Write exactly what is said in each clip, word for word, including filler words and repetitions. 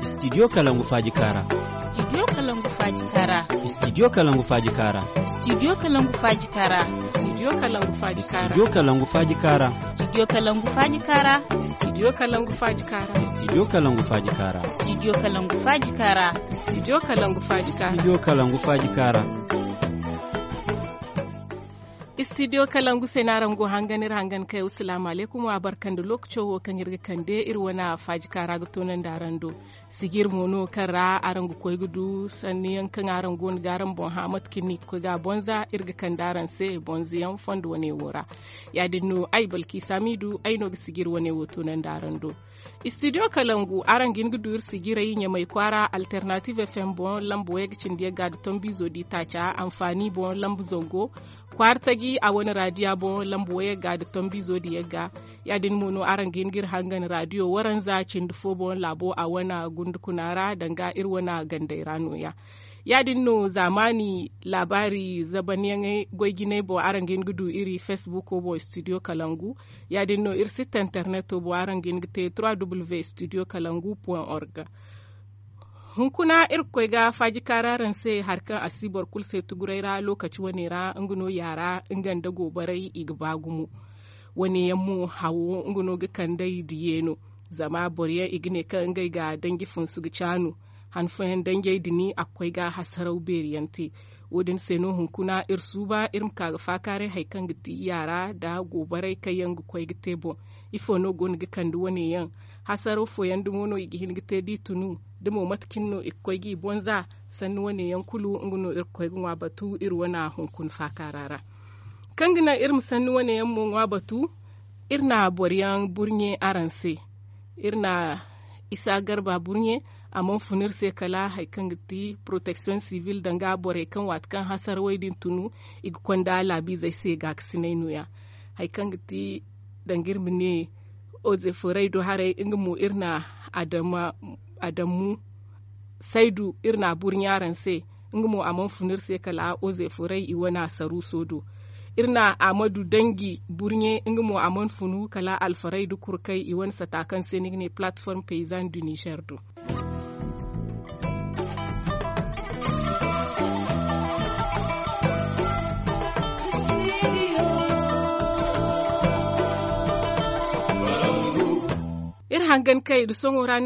Studio kalangu faaji kaara. Studio kalangu faaji kaara. Studio kalangu faaji kaara. Studio kalangu faaji kaara. Studio kalangu faaji kaara. Studio kalangu faaji kaara. Studio kalangu faaji kaara. Studio kalangu faaji kaara. Studio kalangu faaji kaara. Studio kalangu faaji kaara. Studio kalangu faaji kaara. Studio kalangu faaji kaara. Studio kalangu se no araŋ go hangan iri hangan kay. Asalaamu alaykum, wa barka nda lookaco wo kaŋ iri ga kande iri wane faaji kaara ga toonandi araŋ do. Sijir mo no kaŋ ra araŋ ga koy ga du sanni yaŋ kaŋ araŋ go no ga araŋ boŋ hã mate kaŋ ni ga koy ga a bonza iri ga kande araŋ se bonza yaŋ fondo wane wo ra. Ya- din no ay balki samidu ay no ga sijir wane wo toonandi araŋ do. Studio kalangu araŋ ga hin ga du iri sijirey ɲamay kwaara alternative fm boŋ lamba wayga cindi yagga nda tombizo di taaca anfaani boŋ lamba zango kwaara taji a wane raadiya boŋ lamba wayga nda tombizo di yagga. Ya- din mo no araŋ ga hin ga iri hangan raadiyo waranza cindi fo boŋ laabo a wane gundukuna ra danga iri wane gandey ra no- ya. Ya- din no zaamaani laabaari zabanyaŋey goy jinay boŋ araŋ ga hin ga du iri facebook boŋ studio kalangu. Ya- din no iri sitta internet boŋ araŋ ga hin ga te trois w studio kalangu point org. Hunkuna iri ga koy ga faaji kaara araŋ se hari kaŋ a si boro kulu se tuguray ra lookaci wane ra nga no yaara nga nda goobaray i ga ba gumo. Wane yaŋ mo hawo nga no ga kand'ey diyeeno. Zama boro yaŋ i ga ne kaŋ ngey ga danji funsu ga caanu. Han fooyaŋ danjey din a ga koy ga hasaraw beeri yaŋ te. Wo- din se no hunkuna iri suuba iri ma ka ga faakaaray hari kaŋ ga ti yaara nda goobaray kaŋ yaŋ ga koy ga te boŋ. Ifo no go no ga kande wane yaŋ? Hasaraw fooyaŋ dumo no i ga hin ga te da i tunu? Da mo mate cine no i ga koy ga i bonza? Sanni wane yaŋ kulu nga no iri ga koy ga ŋwa batu iri wane hunkuna faakaara ra. Kaŋ ga naŋ iri ma sanni wane yaŋ mo ŋwa batu, iri na boro yaŋ burɲe araŋ se. Iri na isa garba burɲe. A mana fun iri se kala hari kaŋ ga ti protection civil danga borey kaŋ waati kaŋ hasarawey din tunu i ga konda laabiizey se gaakasinay no- ya. Hari kaŋ ga ti danga iri ma ne ozeforey do haray nga mo iri na adama adamu saydu iri na a burɲe araŋ se. Nga mo a mana fun iri se kala ozeforey i wane a saruuso do. Iri na a ma du danji burɲe nga mo a mana funu kala alfaraydu kurkay i wane sata kaŋ se ni ga ne plateforme paysan du niger do. Iri hangan kay nda soŋo ra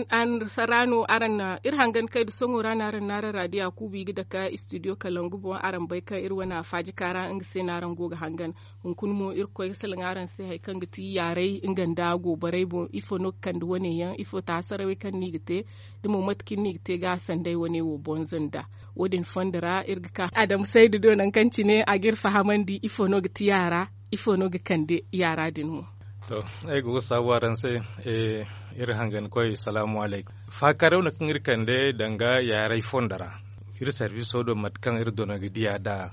no araŋ na iri hangan kay nda soŋo ra no araŋ na araŋ raadiya kuubu i ga dake studio kalangu boŋ araŋ bay kaŋ iri wane a faaji kaara nga se no araŋ go ga hangan. Hunkuna mo iri ga koy ga salaŋ araŋ se hari kaŋ ga ti yaaray nga nda goobaray boŋ ifo no ga kande wane yaŋ ifo ti hasarawey kaŋ no i ga te? Da mo mate kaŋ no i ga te ga sanday wane wo bonza nda wo- din fondo ra iri ga ka adama saydu do nangu kaŋ cine a ga iri fahamandi ifo no ga ti yaara ifo no ga kande yaara din mo? To, ay ga wo saabu araŋ se. Iri hangankoy salaamu alaykum. Faakaaray wane kaŋ iri kande danga yaaray fondo ra iri sarbiso do mate kaŋ iri dona ga diya nd'a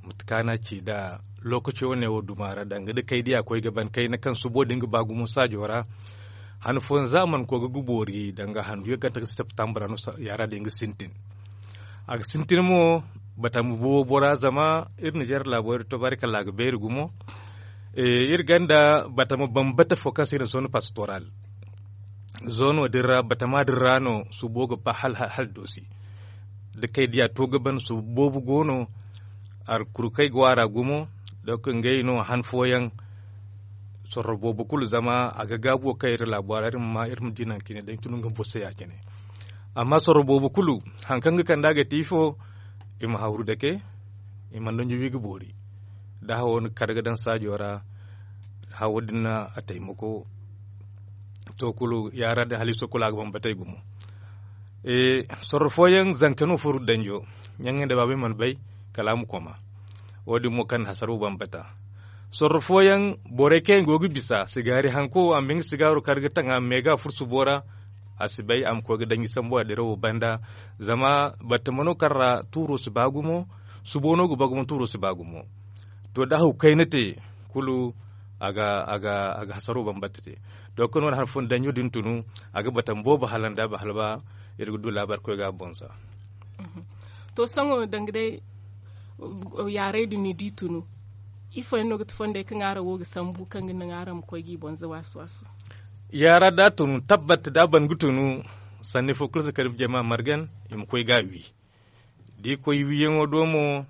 mate kaŋ a na ci nd'a lookaci wane wo duma ra danga da kay diya koy ga ban kayna kaŋ subo din ga ba gumo saajo ra. Han fooyaŋ za a mana koy ga boori danga handu yaŋ kaŋ ta ga septambra no yaara din ga sintin. A ga sintin mo batama boobo ra zama iri nizer laabo iri to barikalla a ga beeri gumo. Iri gonda batama bambata fo kaŋ se i na zone pastoral zoono din ra batama din ra no subo ga ba hala doosi. Da kay diya to ga ban subo boobo go no. Alkurkey go a ra gumo. Donk ngey no han fooyaŋ sorro boobo kulu zama a ga gaabu wo kaŋ iri laabo ra iri ma di nangu cine day tun nga boro se ya- cine. Amma sorro boobo kulu hari kaŋ ga kand'a ga te ifo? I ma hawru dake. I mana danji wi ga boori. Da hawo na kar ga daŋ saajo ra hawo din na a taymako. To kulu yaara din haliiso kulu a ga bambatey gumo. Sorro fooyaŋ zanka no furo danjo. Ɲaŋey nda baabey mana bay kala a ma koma. Wo- din mo kaŋ na hasaro bambata. Sorro fooyaŋ borey kaŋ yaŋ go ga bisa sigaari hanko a ma ba nga sigaaro kar ga taŋ a ma meega furo subo ra. A si bay a ma koy ga danji sambu a dirawo banda. Zama batama no kaŋ ra tuuro si ba gumo. Subo no ga ba gumo tuuro si ba gumo. To da haw kayna te kulu a ga hasaro bambata te. To kaŋ no wane han fooyaŋ danjo din tunu a ga batama boobo hala nda ba hala ba. Iri ga du laabaari koy ga a boŋ za. To sohõ danga day yaaray din ni di tunu ifo yaŋ no ga ti fondey kaŋ araŋ wo ga sambu kaŋ ga naŋ araŋ ma koy ga i boŋ za waasu waasu? Yaara da a tunu tabbat da a ban ga tunu, sanni fo kulu si kar i ma jama margan, i ma koy ga a wi. Da i koy wiyaŋo do mo,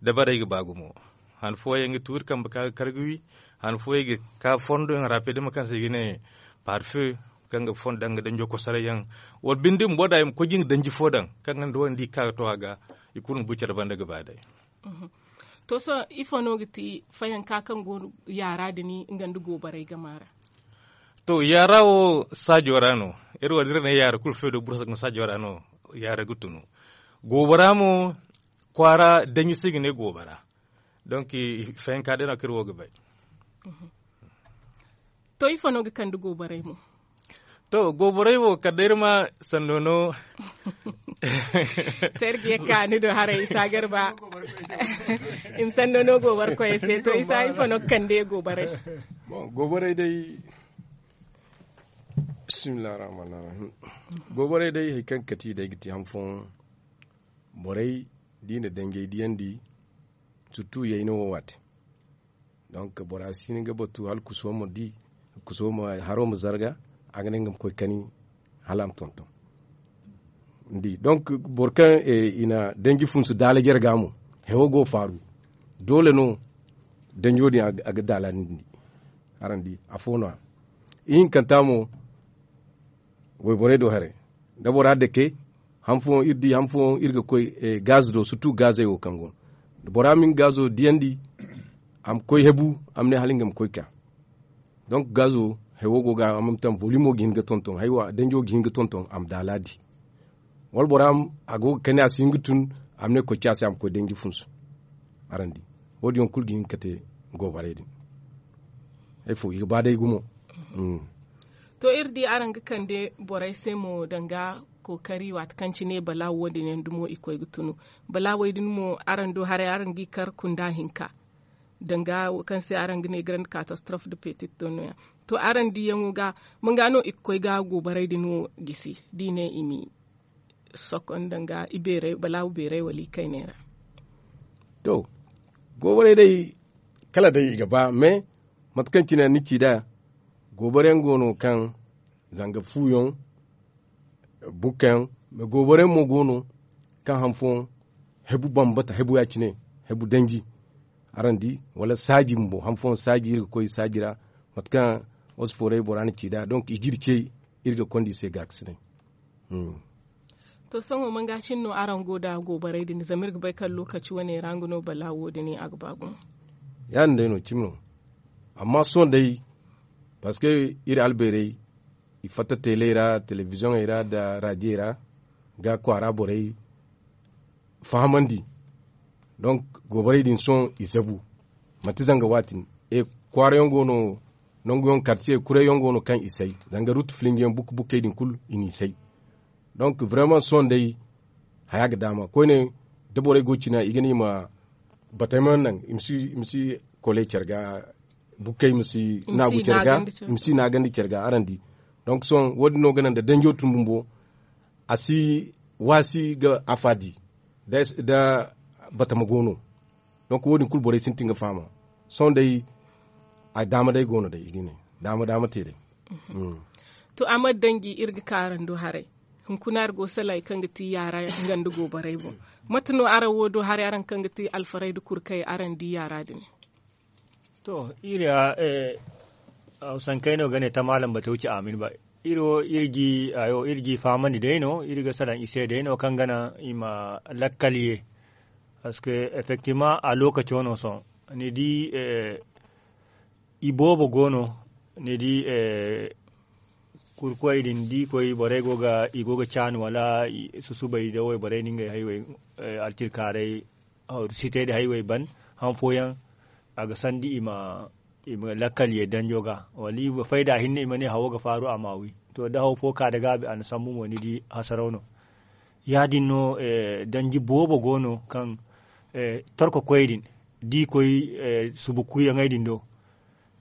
dabarey ga ba gumo. Han fooyaŋ ga tuuri kambe ka ga kar ga wi. Han fooyaŋ ga ka fondo yaŋ rapidement kaŋ se i ga ne, parfe, kaŋ ga fondo daŋ ga danjo kosoray yaŋ. Wala binde bumbo da i ma koy ga nga danji fo daŋ, kaŋ ga nda wandi ka ga to a ga, i kulu ga bu care banda ga ba day. To sohõ ifo no ga ti fayanka kaŋ go yaara din nga nda goobarey gama ra? To yaara wo saajo ra no. Iri wo da iri ne yaara kulu feedo bursa ga saajo ra no. Yaara ga tunu goobara mo, kwaara danji se i ga ne goobara. Donk fayanka day no kaŋ iri wo ga bay. To ifo no ga kande goobarey mo? To goobarey wo kala day iri ma sanno no. Te iri ga ye ka ni do haray isa garba. I ma sanno no goobar koyey se to isa ifo no ga kande goobarey? Goobarey day, bismillah rahman rahim. Goobarey day hari kaŋ ga kati day ga ti han fooyaŋ. Borey da i na danjey diyandi, surtu yayna wo waate. Donk bora si hin ga batu hala kuso ma di, kuso ma haro ma zarga. A ga ne nga ma koy kani hala a ma tonton. Ni di donk boro kaŋ i na danji funsu daala jarga mo, hewo go faaru. Doole no danjo din a ga daala ni di. Araŋ di afo no ya. Ihinkanta mo, wayborey do haray, da bora dake, han fooyaŋ iri di han fooyaŋ iri ga koy gaz do surtu gazey wo kaŋ go no. Bora ma nga gazo diyandi, a ma koy hebu, a ma ne hala nga ma koy ka. Donk gazo, hewo go ga a ma taŋ volimo ga hin ga tonton haywa danjo ga hin ga tonton a ma daala di. Wala bora a go ga kani a si hin ga tun, a ma ne koy ci a se a ma koy danji funsu. Araŋ di, wo- din yaŋ kulu ga hin ga kate goobarey din. Ay fo i ga ba day gumo. To iri di araŋ ga kande borey se mo danga kookari waati kaŋ cine balaawo wo- din yaŋ dumo i koy ga tunu. Balaawey din mo araŋ du haray araŋ g'i kar kunda hinka, danga wo kaŋ se araŋ ga ne garandi katastrof de petit do no- ya. To araŋ diyaŋo ga, manga no i ga koy ga goobarey din wo gisi da i ne i m'i sokon danga balaawu beeray wala i kayney ra? To, goobarey day, kala day i ga ba mais mate kaŋ cine ni ci nd'a, goobariyaŋ go no kaŋ zanga fuuyaŋ, bukkayaŋ, mais goobariyaŋ mo go no kaŋ han fooyaŋ hebu bambata hebu ya- cine, hebu danji. Araŋ di, wala saaji bumbo han fooyaŋ saaji iri ga koy saaji ra. Mate kaŋ wasu foorey bora na ci nd'a donk i ga iri ce, iri ga konda i se gaakasinay. To sohõ manga cine no araŋ go nda goobarey din zama iri ga bay kaŋ lookaci wane ra nga no balaawo din a ga ba gumo. Ya- din day no cimi no. Amma sohõ day, parceque iri albeerey, i fatta teeley ra telebiziyoŋey ra nda raajiyey ra, ga kwaara borey fahamandi. Donk goobarey din sohõ i zabu. Manti zanga waati no. E, kwaarayaŋ go no, nanguyaŋ karciye kurayyaŋ go no kaŋ i say. Zanga ruutu filinjiyaŋ bukka bukkey din kulu i n'i say. Donk vraiment sohõ day, haya ga daama koyne, da borey go cina i ga ne i ma batey mana naŋ, i ma si kole care ga, bukkey ma si naagu care ga, i ma si naagandi care ga araŋ di. Donk sohõ wo- din no ga naŋ da danjo tun bumbo, a si waasi ga afa di, da batama go no. Donk wo- din kulu borey sintin ga fahama. Sohõ day, a daama day go no day i ga ne, daama daama te day. To a mana danji iri ga ka araŋ do haray. Hunkuna iri go salay kaŋ ga ti yaara nga nda goobarey boŋ. Mate no araŋ wo do haray araŋ kaŋ ga ti alfaray nda kurkay araŋ di yaara din? To, iri ya, hawsankaynoo ga ne tamaalam bate wuce amin ba. Iri wo iri g'i fahamandi day no iri ga salaŋ i se day no kaŋ ga naŋ i ma lakkal ye. Parceque effectivement a lookaco no sohõ, ni di, i boobo go no, ni di, kurkoy din da i koy borey go ga i go ga caanu wala susubay da wayborey na ngey haywey, alcirkaaray sitey da haywey ban. Han fooyaŋ a ga sandi i ma lakkal ye danjo ga wala i ma fayda hinne i ma ne hawo ga faaru a ma wi. To da haw fo ka da gaabi a na sambu mo ni di hasaraw no. Ya- din no danji boobo go no kaŋ torko koyey din da i koy subu kuuyaŋey din do.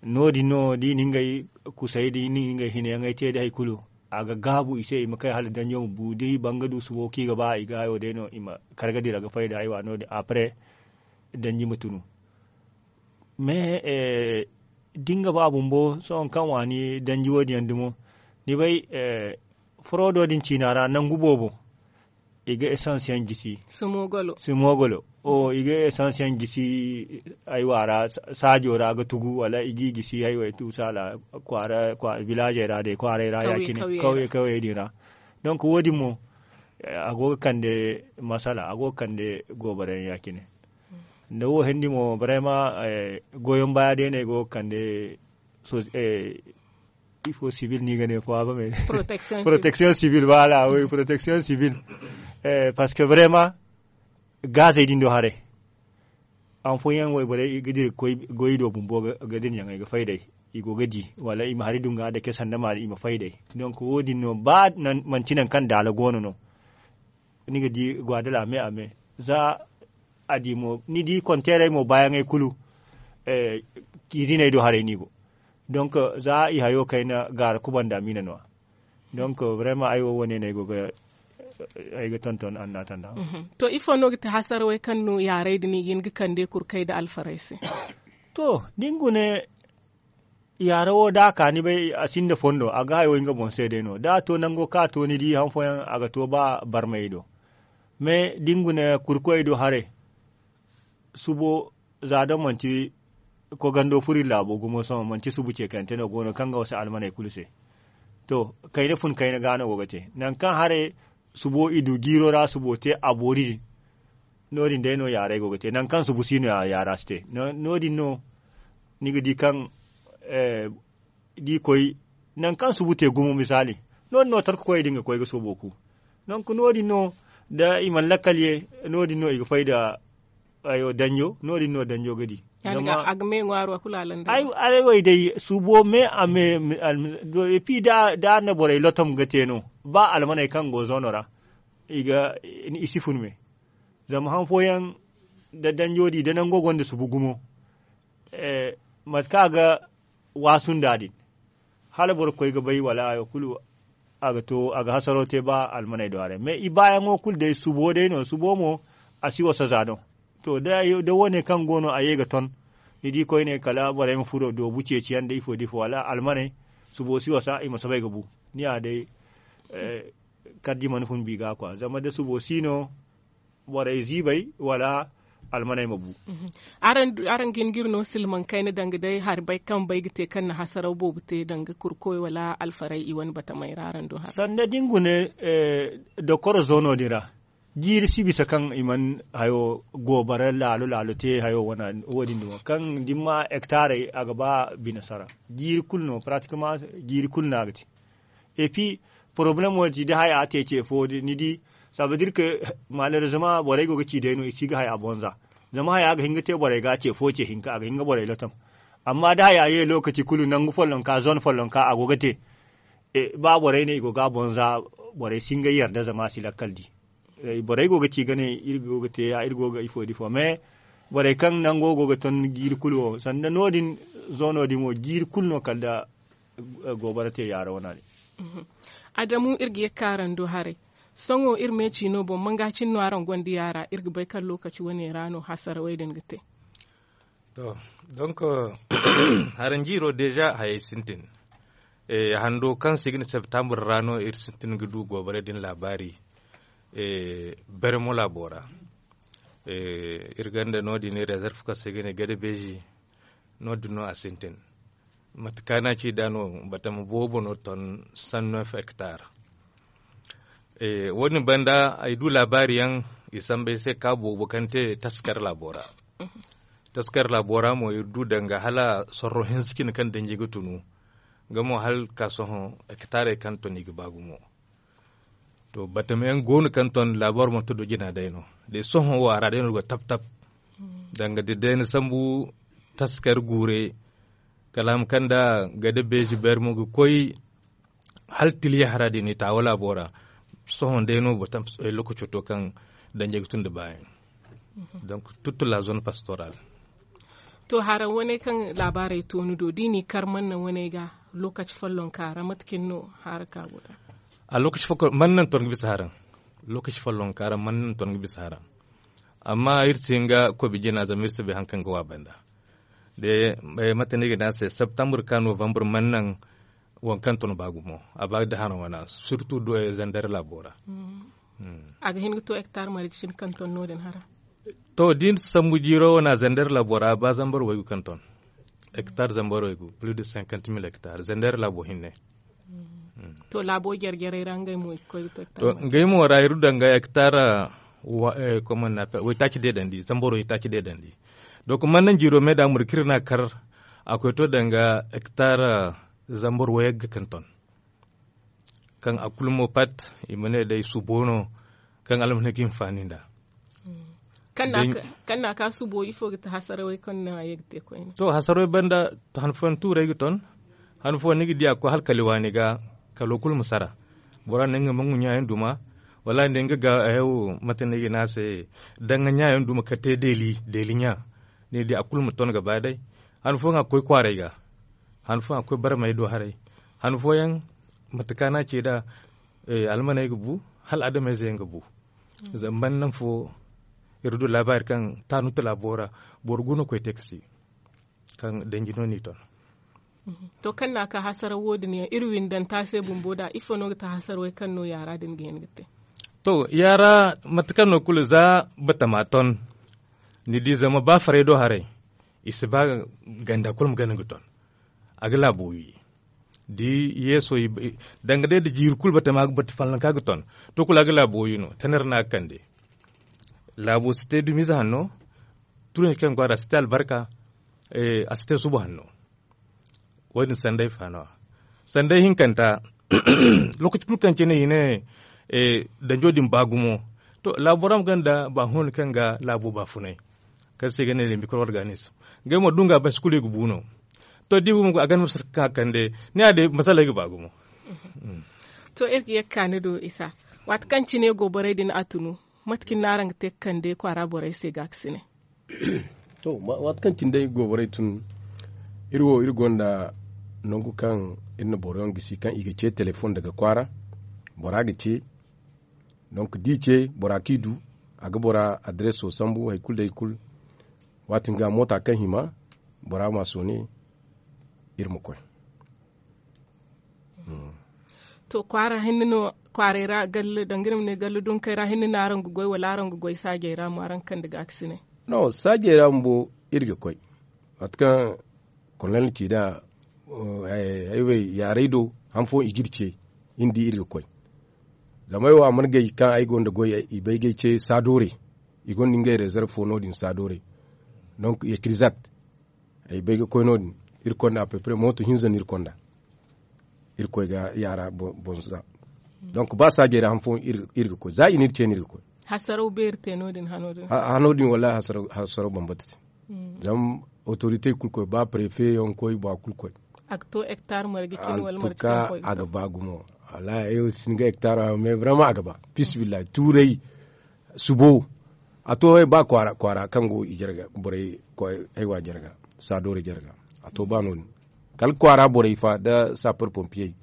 No- din no da i na ngey kusay da i na ngey hinayaŋey te da hari kulu, a ga gaabu i se i ma kay hala danjo ma bu da i ban ga du subo kaŋ i ga ba i ga hayo day no i ma kar ga dira ga fay da haywa no- din après danji ma tunu. Mais da nga ba bumbo sohõ kaŋ waani danji wo- din yaŋ dumo, ni bay, foroodo din ciina ra nangu boobo, i ga essence yaŋ gisi. Sumogolo, i ga essence yaŋ gisi. Aywa ra, saajo ra ga tugu wala i g'i gisi haywey tuusaala, vilaazey ra day kwaaray ra ya- cine, kawyey din ra. Donk wo- din mo, a go ga kande masala, a go ga kande goobarayaŋ ya- cine. Nda wo hendi mo barayma, goyon baaya day no ay go ga kande. Ifo sibil no i ga ne fo a ba me. Protection sibil, voilà, oui, protection sibil. Parce que vraiment, gaazey din do haray, han fooyaŋ wayborey ga dira ga koy goy do bumbo ga dira ɲaŋey ga fay day, i go ga di wala i ma hari du nga dake sanda maari i ma fay day. Donc wo- din no ba manti nangu kaŋ daala go no no. Ni ga di gwa da laame a me za a di mo ni di konteerey mo baayaŋey kulu, kiiziney do haray no i go. Donc za i hayo kayna gaara kubanda miina no- ya. Donc vraiment ay wo wo- ne no ay go ga ay ga tonton annaatanda. To ifo no ga ti hasarawey kaŋ no yaaray din i ga hin ga kande kurkey nda alfarey se? To da ni gune, yaara wo da a ka ni bay a sinda fondo a ga hayo nga boŋ se day no da a to nango kaŋ a to ni di han fooyaŋ a ga to ba barmayey do. Mais da ni gune kurkoyey do haray, subo za da manti kogando furo iri laabo gumo sohõ manti subu ceekante no go no kaŋ ga wasa almaney kulu se. To, kayna fun kayna ga no go ga te nangu kaŋ haray subo i du jiiro ra subo te a boori din. No- din day no yaaray go ga te nangu kaŋ subu si no yaara si te. No- din no ni ga di kaŋ da i koy nangu kaŋ subu te gumo misaali, no- din no tarka koyey din ga koy ga soobo ku. Donk no- din no da i mana lakkal ye, no- din no i ga fay nda danjo, no- din no danjo ga di. Ay way day subo me a me. Epi da a na borey lotom ga te no ba almaney kaŋ go zoono ra i si fun me. Zama han fooyaŋ da danjo di da nango gonda subu gumo, mate kaŋ a ga waasu nda din, hala boro koy ga bay wala hayo kulu a ga to a ga hasaro te ba almaney do haray mais i baayaŋo kulu day subo day no subo mo a si wasa za no. To da wo- ne kaŋ go no a ye ga ton, ni di koyne kala borey ma furo doobu ceeciyaŋ nda ifo nda ifo wala almaney, subo si wasa i ma soobay ga bu. Ni ya day, karji mana fun bi ga kwa zama da subo si no borey ziibay wala almaney ma bu. Araŋ ga hin ga iri no silmaŋ kayna danga day hari bay kaŋ bay ga te kaŋ na hasaraw boobo te danga kurkoy wala alfaray i wane batamey ra araŋ do hara? Sanda da ni gune dokoro zoono din ra, jiiri si bisa kaŋ i mana hayo goobara laalo laalo te hayo wane wo- din dumo kaŋ da ni ma hektaarey a ga ba bine sara. Jiiri kulu no pratikama jiiri kulu no a ga te. Epi porobalem wo din ci da haya a te ce fo ni di, sabadir ke, maalerizama borey go ga ci day no i si ga haya bonza. Zama haya ga hin ga te borey ga ce fo ce hinka a ga hin ga borey lotom. Amma da haya ye lokaci kulu nangu follonka zone follonka a go ga te, ba borey ne i go ga bonza, borey si hin ga yarda zama a si lakkal di. Borey go ga ci ga ne iri go ga te ya iri go ga ifo da ifo mais borey kaŋ nango go ga ton jiiri kulu wo sanda no- din, zoono din wo jiiri kulu no kala da goobara te yaara wana din. Adamu iri ga ye ga ka araŋ do haray. Sohõ iri me ciino boŋ manga cine no araŋ gonda yaara iri ga bay kaŋ lokaci wane ra no hasarawey din ga te. To, donk haranjiiro deeza hayey sintin. Hando kaŋ se i ga ne septambur ra no iri sintin ga du goobarey din laabaari. Bermo laabo ra iri gonda no- din rezerv kaŋ se i ga ne gada beezi. No- din no a sintin. Mate kaŋ a ci nd'a no batama boobo no ton sanno hektar. Wo- din banda ay du laabaari yaŋ i sambu ay se ka boobo kaŋ te taskar laabo ra. Taskar laabo ra mo iri du danga hala sorro hinza cine kaŋ danji ga tunu. Nga mo hala ka sohõ hektarey kaŋ ton i ga ba gumo. To batama yaŋ go no kaŋ ton laabo ra manti do jina day no. Day sohõ wo a ra day no go tap tap. Danga da day ni sambu taskar guure kala a ma kaŋ da gada beezi beeri mo ga koy hala tiliya hara din i taawa laabo ra. Sohõ day no lokaco to kaŋ danjey ga tun da baayaŋ. Donc toute la zone pastorale. To hara wane kaŋ laabaarey to ni do da i n'i kar manna wane ga lokaci follonka ra mate cine no hara ka go da? A lokaci follonka ra manna ni ton ga bisa hara. Lokaci follonka ra manna ni ton ga bisa hara. Amma iri si hin ga kobi jina zama iri si bay hari kaŋ ga wa banda. Mate no i ga ne a se septembre ka novembre mana naŋ waŋ kaŋ ton ba gumo a ba da hano wana surtout zandar laabo ra. A ga hin ga to hectare marje cine kaŋ ton no- din hara. To da i na sambu jiiro wana zandar laabo ra ba zambar waygu kaŋ ton hectare zambar waygu plus de cinquante mille hectare zandar laabo hinne. To laabo jare jarey ra ngey mo i ga koy ga to hectare marje. Ngey mo ra iri du danga hectare waytaaci deedandi zambaro waytaaci deedandi. Donc mana naŋ jiiro me da murkir no a kar a koy to danga hectare zambar wayagga kaŋ ton kaŋ a kulu mo pat i ma ne day subo no kaŋ almana ga hinfaani nd'a. Kaŋ na a ka subo ifo ga ti hasarawey kaŋ no a ye ga te koyne? To hasarawey banda han fooyaŋ tuurey ga ton. Han fooyaŋ ni ga di a ga koy hala kali waani ga kalo kulu ma sara. Bora ne nga ma nga ɲaayaŋ duma wala ne nga ga hayo mate no i ga ne a se danga ɲaayaŋ duma ka te deeli deeli ɲa. Ni di a kulu ma ton ga ba day. Han fooyaŋ a ga koy kwaaray ga han fooyaŋ a ga koy barmey do haray. Han fooyaŋ mate kaŋ a na a ce nd'a almaney ga bu hala adamayze yaŋ ga bu. Zama banda naŋ fo iri du laabaari kaŋ taanuta laabo ra boro gu no koy te kasi kaŋ danji no n'i ton. To kaŋ no a ka hasaraw wo- din yaŋ iri windanta se bumbo nd'a ifo no ga ti hasarawey kaŋ no yaara din ga hin ga te? To yaara mate kaŋ no kulu za batama ton ni di zama ba farey do haray i si ba ganda kulu ma gana ga ton. A ga laabo wi da yeeso danga day nda jiiri kulu batama ga batu fallanka ga ton. To kulu a ga laabo wi no tanar no a ga kande. Laabo si te dumiize hanno. Turanci kaŋ go a ra si te albarka. A si te suba hanno. Wo- din sanday faano a sanday hinkanta. Lookaci kulu kaŋ cine i ne danjo din ba gumo. To laabo ra ma gonda ba huno kaŋ ga laabo ba funay kaŋ se i ga ne le mikro organizme. Ngey mo da nga basi kulu i ga bu no. To da i bu mo a ganda masala kaŋ a kande ni ya day masala ay ga ba gumo. To iri ga ye ga ka ni do isa waati kaŋ cine goborey din a tunu mate kaŋ ni no araŋ ga te ga kande kwaara borey se ga a ga si ne? To waati kaŋ cine day goborey tun iri wo iri gonda nangu kaŋ iri na boro yaŋ gisi kaŋ i ga ce telefon daga kwaara. Bora ga ce donk da i ce bora kaŋ i du a ga bora adreso sambu hari kulu da hari kulu. Waati nga moota kaŋ hima bora ma soone iri ma koy. To kwaara hinne no kwaaray ra galle danga iri ma ne galle dunkey ra hinne no araŋ ga goy wala araŋ ga goy saajey ra mo araŋ ga kande ga a ga si ne? No saajey ra bumbo iri ga koy mate kaŋ kolonel ci nd'a. Ay wo yaaray do han fooyaŋ i ga iri ce iri di iri ga koy. Zama ay wo a mana gay kaŋ ay gonda goy i bay ga ay ce saadoorey. I gonda ngey rezerv fo no- din saadoorey. Donk ya kirizat ay bay ga koy no- din iri konda apepre mooto hinza no iri konda. Iri koy ga yaara bonza. Donk ba saajey ra han fooyaŋ iri ga koy za i na iri ce no iri ga koy. Hasaraw beeri te no- din hano din? Hano din wallahi hasaraw bambata te. Zama otorite kulu koy ba prefe yaŋ koy ba kulu koy. A ga to hektar marje cine wala marje kaŋ koy ga to? A ga ba gumo. Wallahi ay wo si hin ga hektar hayo mais vraiment a ga ba. Fisibillahi tuuray subo. A to ba kwaara kaŋ go i jarga borey koy haywa jarga saadoore jarga. A to ba no- din kala kwaara borey fa nda sapar pompiyey.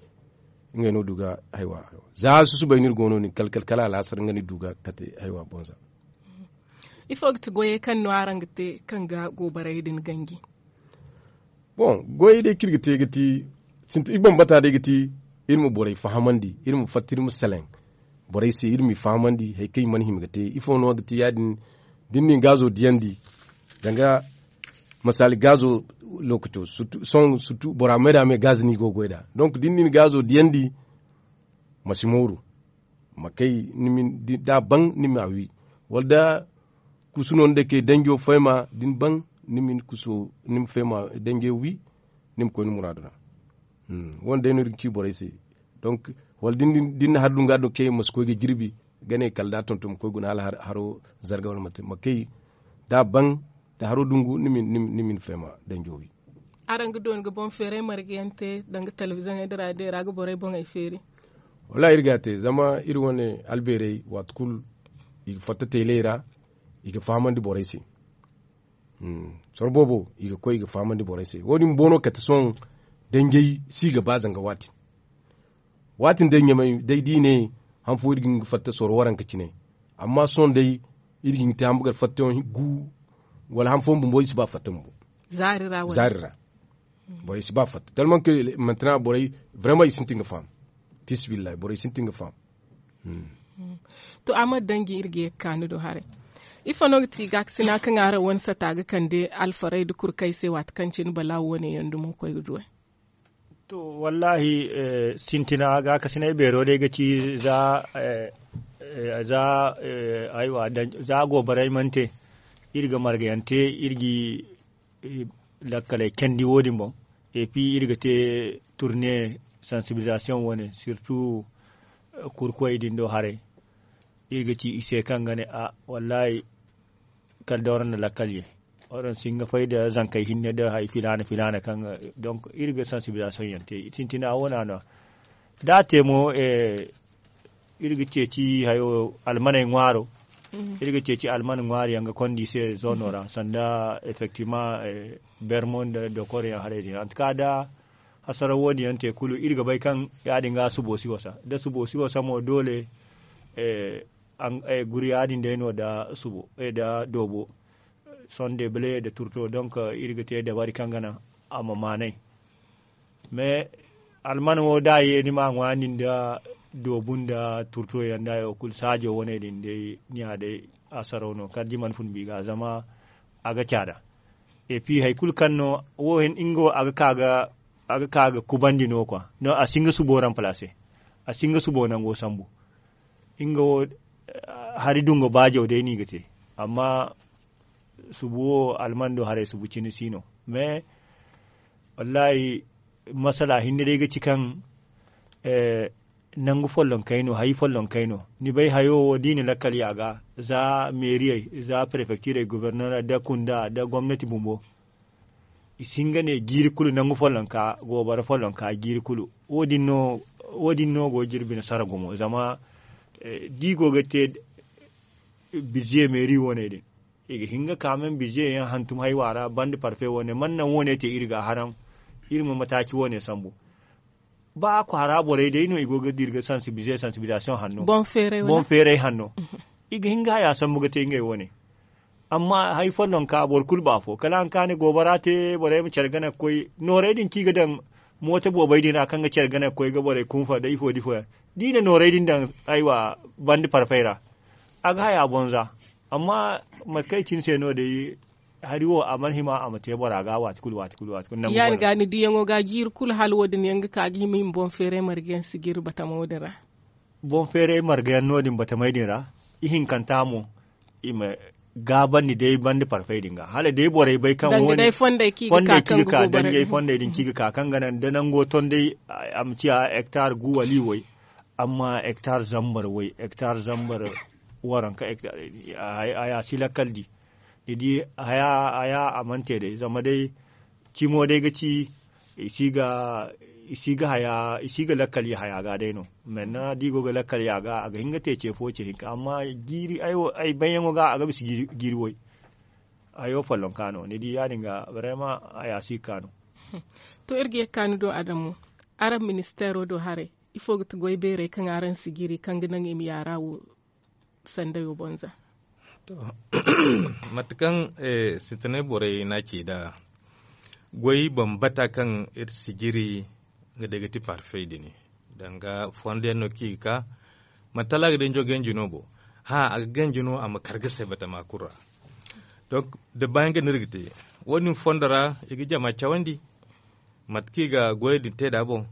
Ngey no du ga haywa za susubay no iri go no- din kala kala alaasar nga no iri du ga kate haywa bonza. Ifo ga ti goyey kaŋ no araŋ ga te kaŋ ga goborey din ganji? Bon goyey day kaŋ iri ga te ga ti sintin iri bambata day ga ti iri ma borey fahamandi iri ma fatta iri ma salaŋ borey se iri m'i fahamandi hari kaŋ i mana hima ga te ifo no ga ti ya- din da ni na ni gaazo diyandi. Danga masaali gaazo lookaco sohõ bora me da me gaazo no i go ga goy nd'a. Donk da ni na ni gaazo diyandi ma si mooru. Ma kay da a ban ni ma wi wala da kusu no ni day kay danjo fayma da ni ban ni ma ni kuso ni ma fayma danjey wi. Ni ma koy ni muraadu ra. Wo- din day no iri ga ci borey se. Donk wala da ni na hari dunga do kay ma si koy ga jirbi ga ne kala da a tonton ma koy guna hala haro zarga wala mate ma kay da a ban da haro dungu ni ma ni fayma danjo wi. Araŋ ga dooni ga boŋ feeray marga yaŋ te danga telebiziyoŋey da raadiyoy ra ga borey boŋey feeri? Wallaahi iri ga a te zama iri wane albeerey waati kulu i ga fatta teeley ra. I ga fahamandi borey se. Soro boobo i ga koy i ga fahamandi borey se wo- din boobo no kate sohõ. Danjey si ga ba zanga waati waati nda ɲamay day da i ne han fo iri ga hin ga fatta soro waranka cine. Amma sohõ day iri ga hin ga te hambugar fattayaŋ gu wala han fooyaŋ bumbo i si ba fatta bumbo. Zaari ra borey si ba fatta talman ke mantina borey, vraiment i sintin ga faham. Fisabilillahi borey sintin ga faham. To a ma danji iri ga ye ga kaanu do haray. Ifo no ga ti gaakasina kaŋ araŋ wane sata ga kande alfarey nda kurkey se waati kaŋ cine balaawo wane yaŋ dumo koy ga duwey? To, wallahi, sintina gaakasinay beero day ga ci za za aywa za goobaray mana te. Iri ga margayaŋ te iri ga lakkaley candi wo- din boŋ. Et puis iri ga te turne sansibilisation wane surtout kurkoy din do haray. Iri ga ci i se kaŋ ga ne a wallahi kala day waraŋ na lakkal ye. Waraŋ si hin ga fay nda zankey hinne nda hari filaana filaana kaŋ ga donk iri ga sansibilisation yaŋ te sintina wo- ne a no. Da a te mo iri ga ceeci hayo almaney ŋwaaro. Iri ga ceeci alman ŋwaari yaŋ ga konda i se zoono ra sanda effectivement bermo nda dokor yaŋ haray din antuka da hasaraw wo- din yaŋ te kulu iri ga bay kaŋ ya- din ga subo si wasa da subo si wasa mo doole. Guri ya- din day no nda subo nda doobo sonde bale nda turto donk iri ga te dabari kaŋ ga naŋ a ma maanay. Mais alman wo da a ye ni ma a ŋwaani nda doobu nda turto yaŋ da hayo kulu saajo wane din day ni ya day asaraw no kala da i mana fun bi ga zama a ga caada. Et puis hari kulu kaŋ no wo nga wo a ga ka ga kubandi no kwa no a si hin ga subo remplacer. A si hin ga subo nango sambu. Nga wo hari dungo baajaw day no i ga te. Amma subu wo almando haray subu cine si no. Mais wallahi masala hinne day ga ci kaŋ nangu follonkey no hari follonkey no. Ni bay hayo wo da i na lakkal ya ga za meeriyey za prefektirey gobornora nda kunda nda gomnati bumbo. I si hin ga ne jiiri kulu nangu follonka goobara follonka jiiri kulu. Wo- din no go ga iri bine sara gumo zama da i go ga te bize meeri wane din i ga hin ga ka men bize yaŋ hantum haywa ra banda parfe wane mana naŋ wane te iri ga a haraŋ. Iri ma mataaci wane sambu ba kwaara borey day no i go ga dira ga sansibilize sansibilizasiyoŋ hanno boŋ feeray hanno. I ga hin ga haya sambu ga te ngey wane. Amma hari follonka boro kulu ba afo kala a na ka ne goobara te borey ma care gana ga koy noorey din kaŋ i ga daŋ mooto boobey din ra kaŋ ga care gana ga koy ga borey kunfa nda ifo nda ifo yaŋ da i na noorey din daŋ aywa banda parfey ra. A ga haya bonza. Amma mate kaŋ i cine se no day hari wo a mana hima a ma te bora ga waati kulu waati kulu waati kulu nangu ya- din ga ni diyaŋo ga jiiri kulu hala wo- din yaŋ ga ka ga hima i ma boŋ feeray marga yaŋ sijiri batamo din ra. Boŋ feeray marga yaŋ no- din batamey din ra ihinkanta mo i ma gaabandi day banda parfey din ga hala day borey bay kaŋ wane fondey kaŋ ga ka danjey fondey din kaŋ ga ka kaŋ ga naŋ da nango ton day a ma ciya hektar gu wala i way. Amma hektar zambar way hektar zambar waranka haya si lakkal di. Ni di haya a mana te day zama day cimo day ga ci i si ga haya i si ga lakkal ya haya ga day no. Menne da i go ga lakkal ya ga a ga hin ga te ce fo ce hinka amma jiiri ay bayyaŋo ga a ga bisa jiiri way. Hayo follonka no ni di ya- din ga barema haya si ga ka no. To iri ga ye ga ka ni do adamu araŋ ministeero do haray ifo ga ti goy beerey kaŋ araŋ si jiri kaŋ ga naŋ i ma yaara wo sandayo boŋ za? To mate kaŋ sintinay borey no a ci nd'a goy bambata kaŋ iri si jiri nga day ga ti parfey din danga fondo yaŋ no kaŋ i ga ka manti hala a ga danjo ganji no bo. Hã a ga ganji no a ma kar ga say batama kulu ra. Donk da baayaŋ ga no iri ga te wo- din fondo ra i ga jama cawandi mate kaŋ i ga goyey din te nd'a boŋ.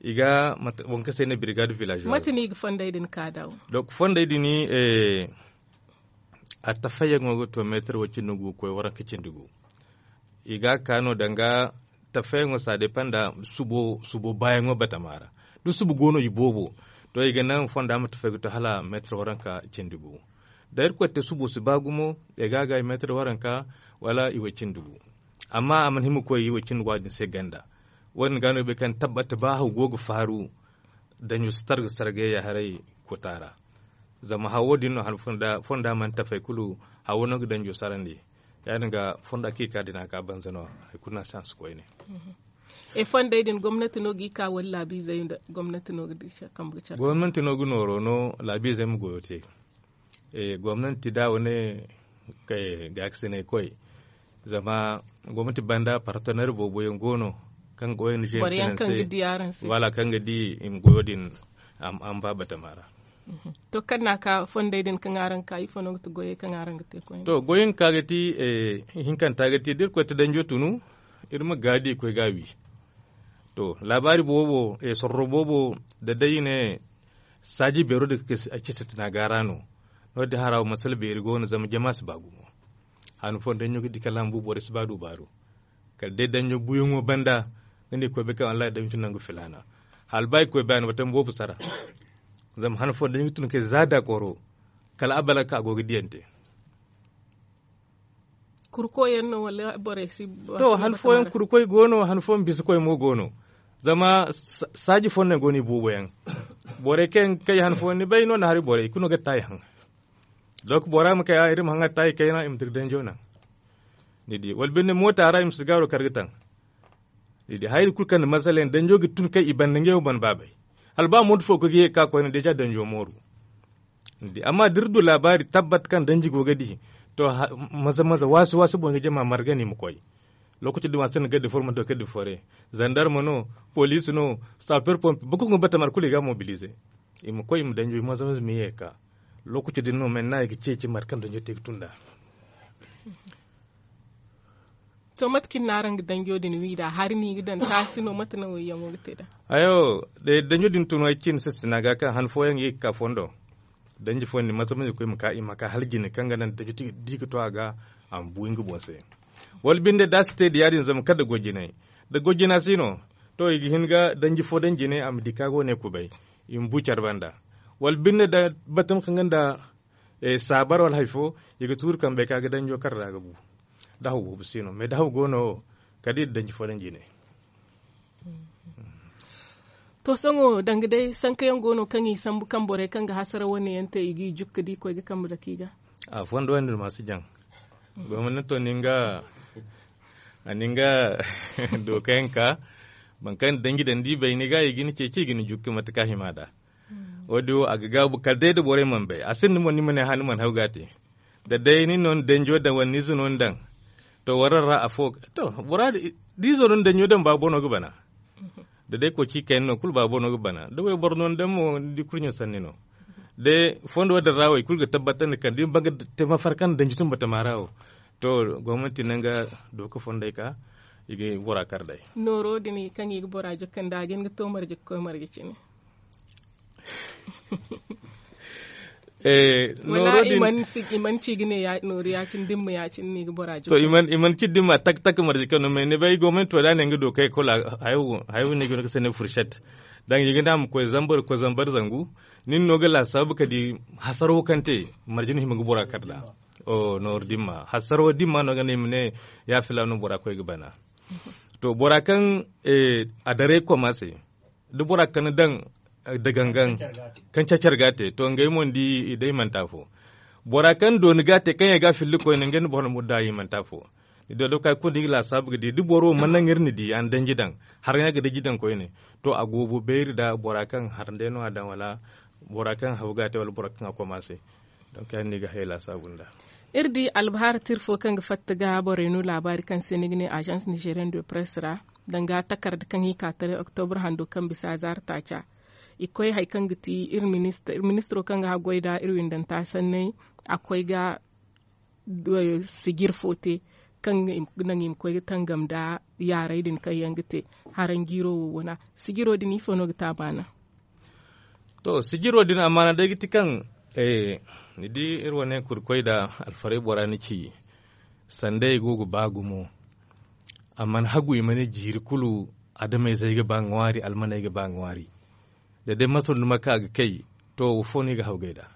I ga boŋ kaŋ se ne birigad village mate no i ga fondey din ka da wo? Donc fondey din a tafayyaŋo ga to meetar way cindi gu ga koy waranka cindi gu. I ga a ka no danga tafayyaŋo ça dépend nda subo baayaŋo batama ra. Da subo go no i boobo to i ga naŋ fonda ma tafay ga to hala meetar waranka cindi gu. Da irkoy te subo si ba gumo i ga a ga i meetar waranka wala i way cindi gu. Amma a mana hima ga koy i way cindi gu a din se ganda. Wo- din ga no i bay kaŋ tabbata ba haw go ga faaru danjo si targa sargay ya haray kota ra. Zama hawo din no hala fonda mana tafay kulu hawo no ga danjo sarandi. Ya- din ga fonda kaŋ i ka din a ga banza no hari kulu no a si hanse koyne. E fondey din gomnati no g'i ka wala laabiizey nda gomnati no ga di kambe ga care? Gomnati no ga nooro no laabiizey ma goyo te. Gomnati da wane gaakasinay koy Zama gomnati banda partenaire boobo yaŋ go no kaŋ ga o n g financé, wala kaŋ ga di i ma goyo din a ma ba batama ra. To kaŋ no a ka fondey din kaŋ araŋ ga ka ifo no ga ti goyey kaŋ araŋ ga te koyne? To goyey ga ka ga ti, hinkanta ga ti da iri koy ta danjo tunu, iri ma gaadi koy ga a wi. To laabaari boobo, sorro boobo, da day i ne saaji beero din ga ci sintina ga ra no. No- din hara wo masala beeri go no zama jama si ba gumo. Han fooyaŋ danjo ga di kala a ma bu borey si ba du baaru. Kala day danjo buyaŋo banda, ni ne koy bay kaŋ wallahi danjo tun nangu filaana. Hala ba i koy bay a na batama boobo sara. Zama han fooyaŋ danjo ga tun kay za daakoro, kala a balaga ka a go ga diyante. Kurkoyaŋ no wala borey si? To han fooyaŋ kurkoy go no, han fooyaŋ bisikoy mo go no. Zama saaji fooyaŋ no go no i boobo yaŋ. Borey kaŋ yaŋ ga kay han fooyaŋ ni bay no na hari borey i kulu no ga taayi haŋ. Donk bora ma kay a iri ma haŋ a taayi kayna i ma dira danjo naŋ. Ni di wala binde moota ra i ma si gaaro kar ga taŋ. Ni di hayri kulu kaŋ na masala yaŋ danjo ga tun kay i banda ngey wo ban baabay. Hala ba mooto fo ga ye ga ka koyne deja danjo mooru. Ni di amma da iri du laabaari tabbat kaŋ danji go ga di, to maza maza waasi waasi boŋ ga jama marga no i ma koy. Lookaci din a sinda gaddi formanto kaddi fore, zandarma no, poliisi no, saper pompi boro kulu ga batama ra kulu i ga a mobilize. I ma koy i ma danjo maza maza ma ye ga ka. Lookaci din no men no i ga ceeci mate kaŋ danjo te ga tun nd'a. To mate kaŋ i na araŋ ga danjo din wi nd'a hari no i ga daŋ taasi no mate no wayyaŋo ga te nd'a? Hayo, danjo din tun ay cine sistina ga kaŋ han fooyaŋ i ga ka fondo. Danji fooyaŋ din maza maza i ga koy i ma ka hala jine kaŋ ga naŋ danjo di ga to a ga, a ma bu nga boŋ se. Wala binde da a si te da ya- din zama kala da goy jinay. Da goy jina si no, to i ga hin ga danji fo daŋ jine a ma di kaŋ a go ne kubay. I ma bu care banda. Wala binde da batama kaŋ ga nda saabar wala hari fo, i ga tuuri kambe ka ga danjo kar ra ga bu. Da haw boobo si no mais da haw go no wo, kala da i na danji fo daŋ jine. To sohõ danga day sanka yaŋ go no kaŋ i sambu kaŋ borey kaŋ ga hasara wane yaŋ te i g'i jukka da i koy ga kambe dake i ga? A fondo yaŋ din ma si jaŋ. Gomnato ni nga a ni nga dooka yaŋ ka, boro kaŋ na danji daŋ da i bay ni ga i ga ni ceeci i ga ni jukka mate kaŋ a hima nd'a. Wo- din wo a ga gaabu kala day da borey mana bay a sinda mo ni ma ne hã ni mana haw ga a te. Da day nin no ni danjo daŋ wala ni ize no ni daŋ, to warra ra afo. To bora da izo no ni danjo daŋ ba boro no ga bana. Da day koci kayna no kulu ba boro no ga bana da wayboro no ni daŋ mo ni di kurɲo sanni no. Day fondo din ra wo i kulu ga tabbatandi kala da ni ban ga te mafar kaŋ danji tun batama ra wo. To gomnati naŋ ga dooka fondey ka i ga bora kar day. Nooro din kaŋ i ga bora jokkandi a ga hin ga to marje ga koy marje cine. Wala i mana ci ga ne nooru ya- cine da ni ma ya- cine no i ga bora jokkandi? To i mana ci da ni ma tak tak marje kaŋ no mais ni bay gomnati to da a ne nga dookey kulu hayo no i ga no ga senne furset. Danga i ga ne a ma koy zambar zangu. Nin no ga laasaabu ka di hasaro kaŋ te marje no hima ga bora kar nd'a. Nooru dimma hasaro dimma no ga ne i ma ne ya filaano bora koy ga bana. To bora kaŋ a daray koma se da bora kaŋ ni daŋ da gangan kaŋ cacar ga a te to ngey mo ni di i day i mana te afo. Bora kaŋ dooni ga a te kaŋ ye ga a filli koyne ngey nda boro murda i mana te afo. Ni di wala kay kulu da i ga laasaabu ga di da boro mana naŋ iri na di a na danji daŋ, haraŋ yaŋ ga danji daŋ koyne. To a goobo beeri nda bora kaŋ harandey no a daŋ wala bora kaŋ haw ga a te wala bora kaŋ a koma se. Donk ya- din no i ga hayey laasaabu nd'a. Iri di albahaara tira fo kaŋ ga fatta ga borey no laabaari kaŋ se ni ga ne agence nigerian de presse ra, danga takarda kaŋ i ka taray oktobra hando kaŋ bisa zaari taaca. I koy hari kaŋ ga ti iri ministiro kaŋ ga haggoy nda iri windanta sanney. A koy ga sijir fo te kaŋ ga naŋ i ma koy ga tangam nda yaaray din kaŋ yaŋ ga te haranjiiro wo wana. Sijiro din ifo no ga te a maana? To sijiro din a maana day ga ti kaŋ ni di iri wane kurkoy nda alfaray bora ni ci. Sanday go ga ba gumo. A mana hagu i ma ne jiiri kulu adameyzey ga ba ŋwaari almaney ga ba ŋwaari. Da day masoro ni ma ka ga kay to wo fo no i ga hawgay nd'a?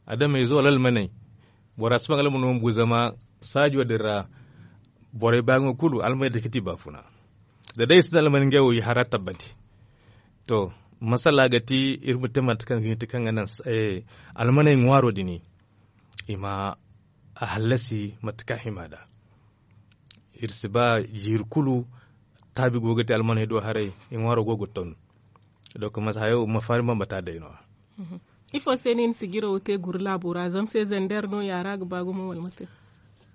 Adameyzo wala almaney bora si ba nga almano ma bu zama saajo din ra. Borey baayaŋo kulu almaney day ga ti baafuna. Da day i sinda almaney ngey wo i hara tabbati. To masala ga ti iri ma te mate kaŋ ga hin ti kaŋ ga naŋ almaney ŋwaaro din i ma a hallasi mate kaŋ a hima nd'a. Iri si ba jiiri kulu taabi go ga te almaney do haray i ŋwaaro go ga ton. Donk mate hayo ma faari bambata day no- ya. Ifo se no i na sijiro wo te guru laabo ra zama se zander no ya ra ga ba gumo wala mate?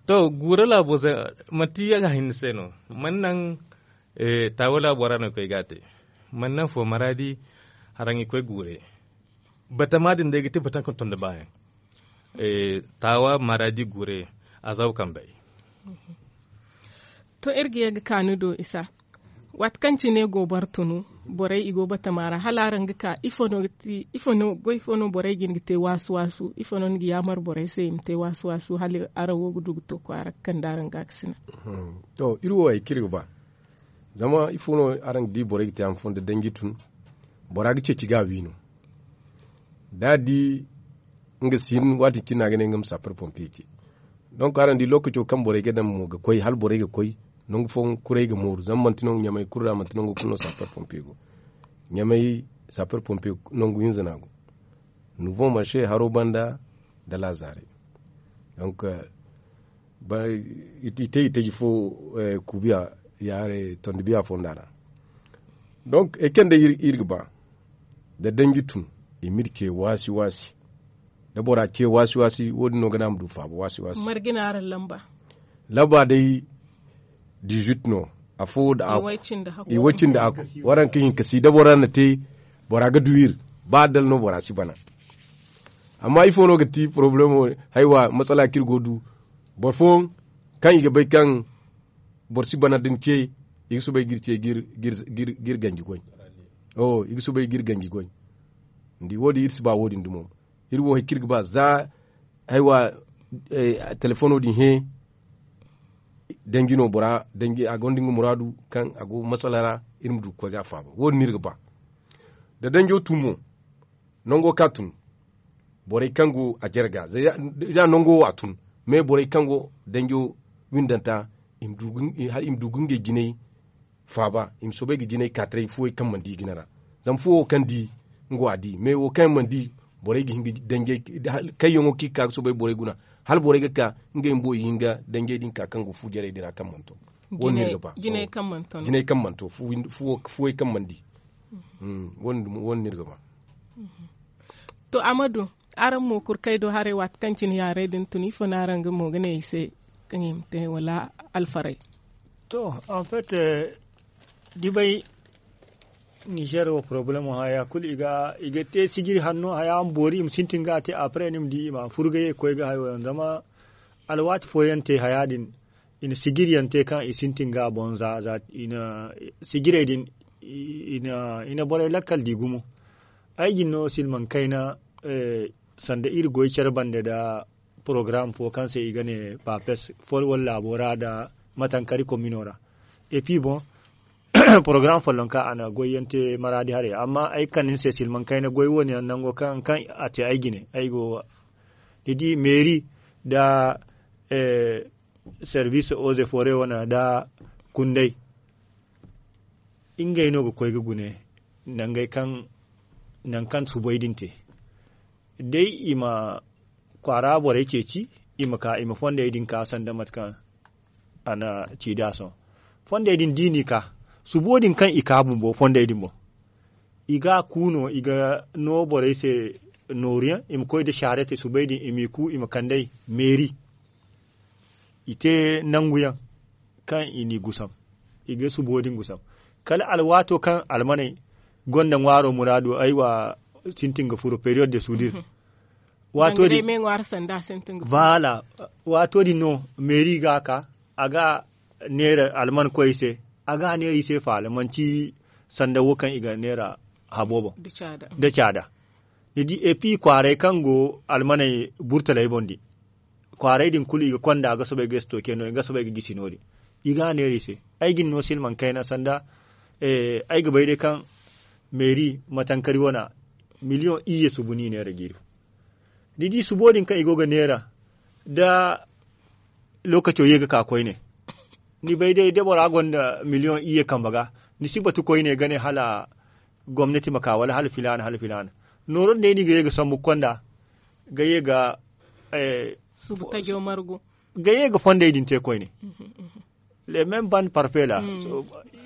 To, guura laabo se manti yaŋ a hinne se no. Man naŋ taawa laabo ra no i koy ga a te. Man naŋ fo maraadi haraŋ i koy guure. Batama din day ga ti bataŋ kaŋ tondi baayaŋ. Taawa maraadi guure a zaw kambey. To iri ga ye ga kaanu do isa. Waati kaŋ cine go boro tunu borey i go batama ra hala araŋ ga ka ifo no goy fo no borey ga hin ga te waasu waasu ifo no ni ga yaamar borey se i ma te waasu waasu hala araŋ wo ga du ga to kwaara ga kande araŋ ga a ga sina. To iri wo hari kaŋ iri ga ba zama ifo no araŋ ga di borey ga te hari fo nda danji tun. Bora ga ceeci ga a wi no da a di nga si hin waati kaŋ cine no a ga ne nga ma saapar pompiye ce. Donk araŋ di lookaco kaŋ borey ga daŋ mo ga koy hala borey ga koy nangu fooyaŋ kuray ga mooru zama manti nangu ɲamay kulu ra manti nangu kulu no saapar pompiye go. Ɲamay saapar pompiye nangu hinza no a go. Nouveau marché haro banda da laazare. Donk i te i taji fo kuubiya yaare tondi biya fonda ra. Donk ay kaŋ day iri ga ba da danji tun i m'iri ce waasi waasi. Da bora ce waasi waasi wo- din no ga naŋ a ma du faaba waasi waasi. Margina araŋ lamba lamba day dizuit no. Afo da i way cindi hakku waraŋ ka hinka si da bora na te bora ga du iri. Ba dala no bora si bana. Amma ifo no ga ti porobalemo haywa matsala kaŋ iri go ga du boro fooyaŋ kaŋ i ga bay kaŋ boro si bana da ni ce i ga soobay ga iri ce ga iri ganji goy. I ga soobay ga iri ganji goy. Ni di wo- din iri si ba wo- din dumo. Iri wo hari kaŋ iri ga ba za haywa telefono din hẽ. Danji no bora danji a gonda nga muraadu kaŋ a go matsala ra. Iri ma du ga koy ga a faaba wo- din no iri ga ba. Da danjo tun mo nango kaŋ a tun borey kaŋ go a jare ga za nango wo a tun. Mais borey kaŋ go danjo windanta i ma du ga ngey jinay faaba i ma soobay ga jinay ka taray fuwey kaŋ mana di i jine ra. Zama fuwo kaŋ di nga wo a di mais wo kaŋ mana di borey ga hin ga danjey kayyaŋo kaŋ i ga ka ga soobay borey guna hala borey ga ka ngey bumbo i hin ga danjey din ka kaŋ go fu jarey din ra kaŋ mana to. Wo- din no iri ga ba jinay kaŋ mana to fuwey kaŋ mana di. Wo- din no iri ga ba. To amadu araŋ mo kurkay do haray waati kaŋ cine yaarey din tun ifo no araŋ ga mo ga ne i se kaŋ i ma te wala alfaray? To en fait di bay nizer wo porobalemo haya kulu i ga te sijiri hanno haya ma boori i ma sintin ga a te après ni ma di i ma furu ga ye ga koy ga hayo yaŋ zama alwaati fooyaŋ te haya din i na sijiriyaŋ te kaŋ i sintin ga a boŋ za za i na sijirey din i na borey lakkal di gumo. Ay jine no silmaŋ kayna sanda iri goy care bande nda porogaram fo kaŋ se i ga ne papes fol wala laabo ra nda matankari komino ra. Et puis boŋ porogaram folloŋ kaŋ a na goyyaŋ te maraadi haray amma ay ga kande ni se silmaŋ kayna goy wo- ne yaŋ nango kaŋ a te ay jine ay go ni di meeri nda servis oze fore wane nda kunday ngey no ga koy ga gune nangey kaŋ nangu kaŋ subay din te. Day i ma kwaara borey ceeci i ma ka i ma fondey din ka sanda mate kaŋ a na ci da sohõ. Fondey din da i n'i ka subo din kaŋ i ka bumbo fondey din boŋ i ga a ku no i ga no borey se nooruyaŋ i ma koy nda saarete subay din i m'i ku i ma kand'ey meeri. I te nanguyaŋ kaŋ i n'i gusam i ga subo din gusam. Kala alwaato kaŋ almaney gonda ŋwaaro muraadu ay wa sintin ga furo periyod de sudir. Waato din no meeri ga a ka a ga neera alman koy i se a ga a neera i se faala manti sanda wo kaŋ i ga neera habo boŋ. Da caada ni di epi kwaaray kaŋ go almaney burtaley boŋ din kwaaray din kulu i ga konda ga soobay ga stoke no- din ga soobay ga gisi no- din. I ga a neera i se ay ga ni no silmaŋ kayna sanda ay ga bay day kaŋ meeri matankari wana miliyoŋ iyye subu no i neera jiiri fo. Ni di subo din kaŋ i go ga neera da lookaco ye ga ka koyne. Ni bay day da bora gonda miliyoŋ iyye kambe ga ni si batu koyne ga ne hala gomnati ma ka wala hala filaana hala filaana. Nooro din day no i ga ye ga sambu ga konda ga ye ga ga ye ga fondey din te koyne. Le même bande parfait la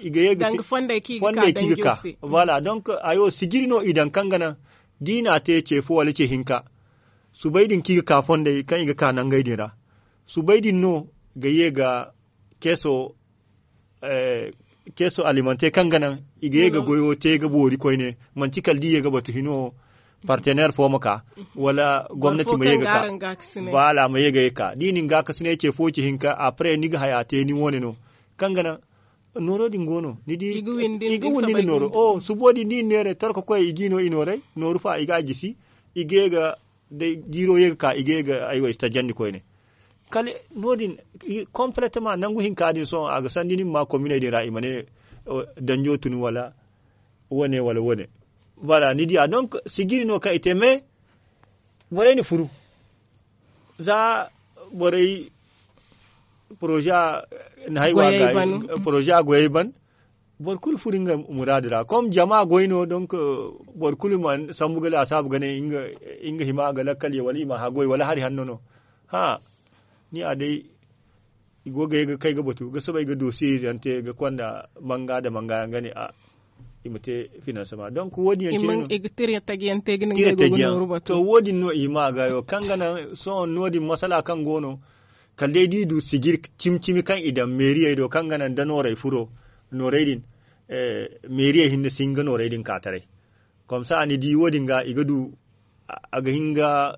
i ga ye ga fondey kaŋ i ga ka. Voilà donc hayo sijiri no i daŋ kaŋ ga naŋ da i n'a te ce fo wala ce hinka. Subay din kaŋ i ga ka fondey kaŋ i ga ka nangey din ra. Subay din no ga ye ga keeso keeso alimante kaŋ ga naŋ i ga ye ga goyo te ga boori koyne. Manti kala da i ye ga batu hino partener fo ma ka wala gomnati ma ye ga ka. Baala ma ye ga ye ka da i na ni ga kasinay ce fo ci hinka apre ni ga haya te ni wane no kaŋ ga naŋ nooro din go no ni di i ga windi nda nooro o subo din da i na neeray torka koy i ga i no i nooray nooru fa i ga a gisi i ga ye ga day jiiro ye ga ka i ga ye ga ay wo i si tajandi koyne. Kala no- din kompletema nangu hinka din sohõ a ga sandi ni ma ma kominey din ra i ma ne danjo tun wala wane wala wane. Voilà ni diya donc sijiri no kaŋ i te mais borey na furu za borey projet na hay wa ga projet a goyey ban boro kulu furo nga muraadu ra kom jama goy no donc boro kulu ma sambu ga laasaabu ga ne nga hima ga lakkal ye wala i ma haggoy wala hari hanno no. Hã ni a day i go ga ye ga kay ga batu ga soobay ga dossier ize yaŋ te ga konda manga nda manga yaŋ ga ne a i ma te finansement donc wo- din yaŋ cine no. I ga tira tajiyaŋ te ga ne nga go ga nooru batu to wo- din no i ma ga yo kaŋ ga naŋ sohõ no- din masala kaŋ go no kala day da i du sijir cimi cimi kaŋ i daŋ meeriyey do kaŋ ga naŋ da nooray furo nooray din meeriyey hinne si hin ga nooray din ka taray. Komsa ni di wo- din ga i ga du a ga hin ga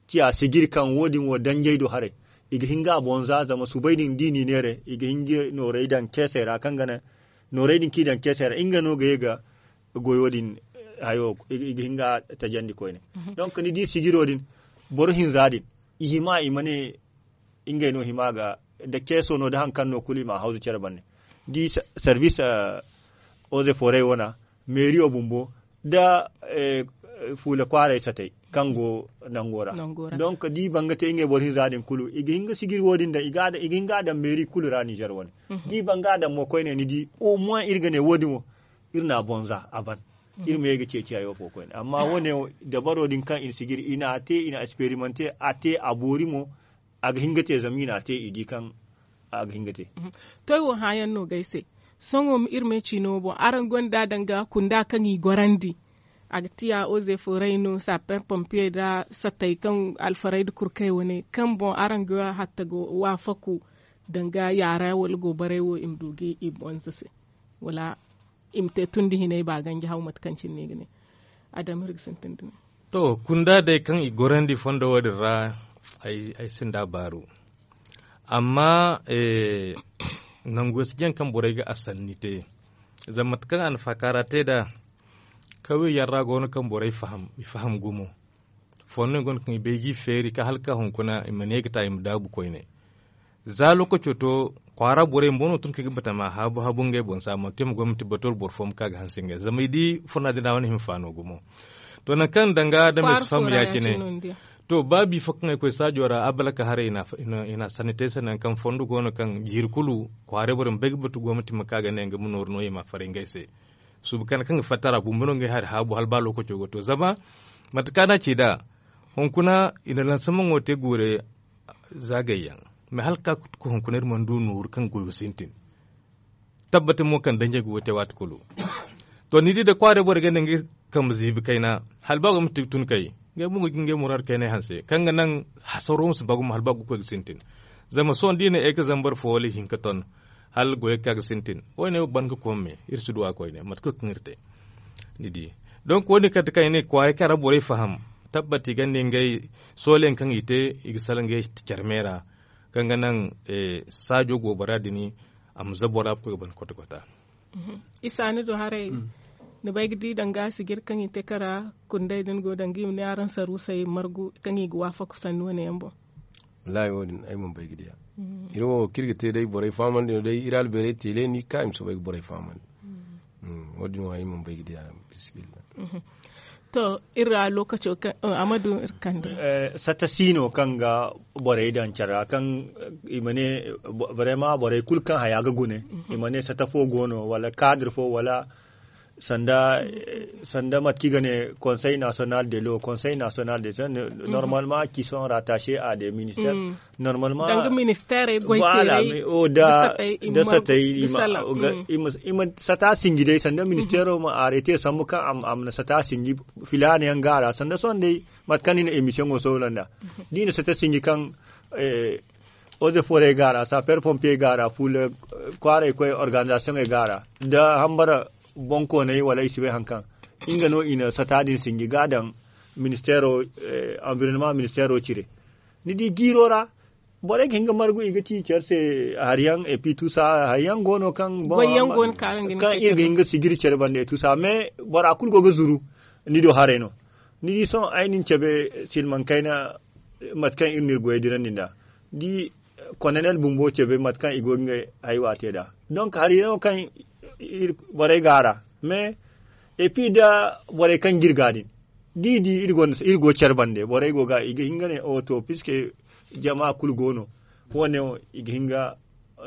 ciya sijir kaŋ wo- din wo danjey do haray. I ga hin ga a boŋ za zama subay din da i n'i neere i ga hin ga nooray daŋ ceesey ra kaŋ ga naŋ nooray din kaŋ i daŋ ceesey ra nga no ga ye ga goyo din hayo i ga hin ga tajandi koyne. Donc ni di sijiro din boro hinza din i hima i ma ne ngey no hima ga da keeso no da haŋ kaŋ no kulu i ma a hawzu care bande da i service oze forey wana meeriyo bumbo da fuula kwaaray satay kaŋ go nango ra. Donc da i ban ga te ngey boro hinza din kulu i ga hin ga sijiri wo- din daŋ i ga hin ga a daŋ meeri kulu ra nizer wane da i ban ga a daŋ mo koyne ni di au moins iri ga ne wo- din wo iri na a boŋ za a ban iri ma ye ga ceeci hayo fo koyne amma wo- ne dabaro din kaŋ i na sijiri i na a te i na experimante a te a boori mo. A ga hin ga te zama i na a te i di kaŋ a ga hin ga te. To ay wo hãayaŋ no ga ay se sohõ iri ma ay ciino wo boŋ araŋ gonda danga kunda kaŋ i gorandi a ga tiya oze fooray no saper pompier nda satay kaŋ alfaray nda kurkay wane kaŋ boŋ araŋ ga hatta ga waafaku danga yaara wala goobaray wo i ma du ga i boŋ za se wala i ma te tundi hinay ba ganji haw mate kaŋ cine no i ga ne. Adama iri ga sintin da ne. To kunda day kaŋ i gorandi fondo wo- din ra ay sinda baaru. Amma nangu si jaŋ kaŋ borey ga a sanni te zama mate kaŋ a na faakaara te nd'a kawey yaŋ ra go no kaŋ borey faham i faham gumo. Fondo yaŋ go no kaŋ i bay ga i feeri ka hala ka hunkuna i ma ne ga ta i ma daabu koyne. Za lokaco to kwaara borey bumbo no tun kaŋ i ga batama haabu haabu ngey boŋ se a mana te ma gomnati batu wala boro fo ma ka ga hanse ngey zama i di furna din ra wane hima faano gumo. To nangu kaŋ danga da ma si faham ya- cine. To ba bi fo kaŋ ay koy saajo ra abalaka haray i na sanni te se nangu kaŋ fondo go no kaŋ jiiri kulu kwaaray borey ma bay ga batu gomnati ma ka ga ne nga ma nooru no i ma a faray ngey se. Suubu kande kaŋ ga fatta ra bumbo no ngey hari haabu hala ba lokaco ga to zama mate kaŋ a na ci nd'a hunkuna i na lansamaŋo te guure zaagay yaŋ. Mais hala ka hunkuna iri mana du nooru kaŋ goyo sintin tabbati mo kaŋ danjey go ga te waati kulu. To ni di da kwaaray borey ga ne ngey kambe ziibi kayna hala ba go ma tun kay ngey mo ga jin ngey muraadu kaynay hanse kaŋ ga naŋ hasaro ma si ba gumo hala ba ga koy ga sintin. Zama sohõ da i ne ay ga zambar fo wala ihinka ton hala goyey ga ka ga sintin wo- ne ban ga kome iri si duw'a koyne mate kulu kaŋ iri te. Ni di donc wo- din kala da kaŋ i ne kwaaray kaŋ ra borey faham tabbati i gonda ngey soolayaŋ kaŋ i te i ga salaŋ ngey care me ra kaŋ ga naŋ saajo goobara din a ma za bora ga koy ga ban kwata kwata. Isa ni du haray ni bay ga di danga sijir kaŋ i te kara kunday din go danga i ma ne araŋ saruusey margu kaŋ i ga waafaku sanni wane yaŋ boŋ. Wallaahi wo- din ay mana bay ga diya. Iri wo kaŋ iri ga te day borey fahamandi no day iri albeerey teele ni ga ka i ma soobay ga borey fahamandi. Wo- din wo ay mana bay ga diya. Bismillah. To iri ra lokaco kaŋ amadu iri kande. Sata si no kaŋ ga borey daŋ care ra kaŋ i ma ne vraiment borey kulu kaŋ haya ga gune i ma ne sata fo go no wala kaadiri fo wala sanda sanda mate kaŋ i ga ne conseil national de l'eau conseil national de l'eau normalement qui sont rattachés à des ministères. Normalement danga ministère goy teeray da satay i ma sata sinji day sanda ministère ma arrêté sambu kaŋ a ma na sata sinji filaana yaŋ ga a ra sanda sohõ day mate kaŋ ni na émission wo soola nd'a da i na sata sinji kaŋ Eaux et forêt ga ra, sapeur pompier ga ra, fuula kwaaray koy organisation ga ra, da hambara bonkoonay wala i si bay haŋ kaŋ nga no i na sata din sinji ga daŋ ministeero, environnement ministeero cire. Ni di jiiro ra, borey ga hin ga margu i ga ci care se, hari yaŋ epi tusa hari yaŋ go no kaŋ kaŋ iri ga hin ga sijiri care banda epi tusa mais bora kulu go ga zuru. Ni do haray no. Ni di sohõ ay na ni cabe silmaŋ kayna, mate kaŋ iri na iri goyey dirandi nd'a. Di, kononel bumbo cabe mate kaŋ i go ga ngey haywa te nd'a. Donc hari yaŋo kaŋ borey go a ra mais epi nda borey kaŋ ga iri ga din, da i di iri go care bande borey go ga i ga hin ga ne o to puisque jama kulu go no. Wo- ne wo i ga hin ga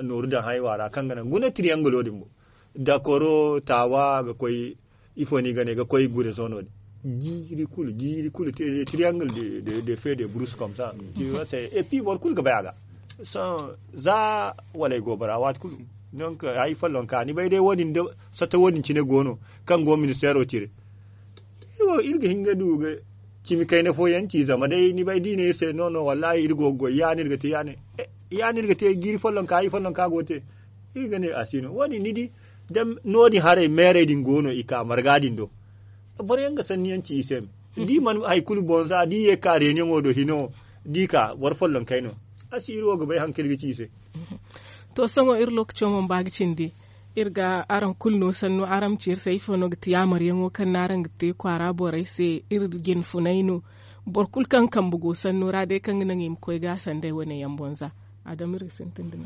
nooru daŋ haywa ra kaŋ ga naŋ guna triangle wo- din boŋ. Dakoro taawa ga koy ifo no i ga ne ga koy gure sohõ no- din. Jiiri kulu jiiri kulu triangle de fe de bruce comme ça. Et puis boro kulu ga bay a ga sohõ za wala ay go bara waati kulu. Donc ay follonka ni bay day wo- din da satta wo- din cine go no kaŋ go ministeero cire. Iri ga hin ga du ga cimi kayna fooyaŋ ci zama day ni bay da i ne iri se no no wallahi iri go ga goy ya- din iri ga te ya- din iri ga te jiiri follonka ay follonka go ga te. Iri ga ne a si no wo- din ni di da no- din haray meerey din go no i ka marga din do. Boro yaŋ ga sanni yaŋ ci i se me da i mana hari kulu boŋ za da i ye ga ka reunion wo do hino da i ka boro follonkey no. A si iri wo ga bay hari kaŋ iri ga ci i se. To sohõ iri lookaco mana ba ga cindi. Iri ga araŋ kulu no sannu araŋ ma ci iri se ifo no ga ti yaamaryaŋo kaŋ no araŋ ga te kwaara borey se iri jine funay no. Boro kulu kaŋ kambe go sanno ra day kaŋ ga naŋ i ma koy ga a sanday wane yaŋ boŋ za. Adama iri ga sintin da no.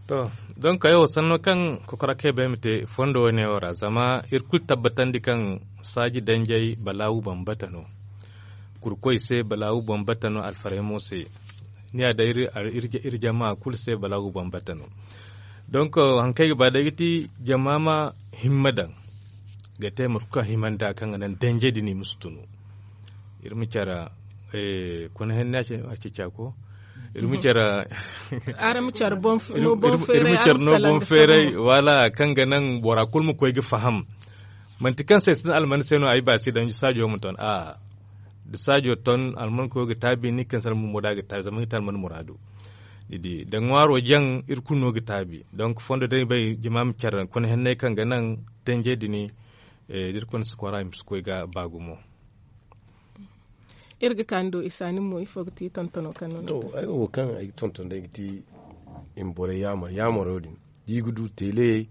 To, donk ay wo sanno kaŋ kokora kay bay ma te fondo wane wo ra zama iri kulu tabbatandi kaŋ saaji danjey balaawu bambata no. Kurkoy se balaawu bambata no alfaraymo se. Ni ya day iri jama kulu se balaawu bambata no. Donk hari kaŋ ay ga ba day ga ti jama ma himma daŋ ga te mate kulu kaŋ himanda kaŋ ga naŋ danjey din i ma si tunu. Iri ma care kuna henne a ce cako. Iri ma care araŋ ma care no boŋ feeray wala kaŋ ga naŋ bora kulu ma koy ga faham. Manti kaŋ se ay sinda alman se no ay ba si daŋ saajo ma ton a da saajo ton alman koyo ga taabi ni kaŋ se alman murada ga taabi zama ni ga te alman muraadu. Ni di da ŋwaaro jaŋ iri kulu no ga taabi donk fondo day bay jama ma care kuna henney kaŋ ga naŋ danjey din da iri kulu si kwara i ma si koy ga ba gumo. Iri ga ka ni do isa nin mo ifo ga ti tontono kaŋ no ni to ay wo kaŋ ay ga tonton day ga ti i ma borey yaamar yaamaro din da i ga du teeleyey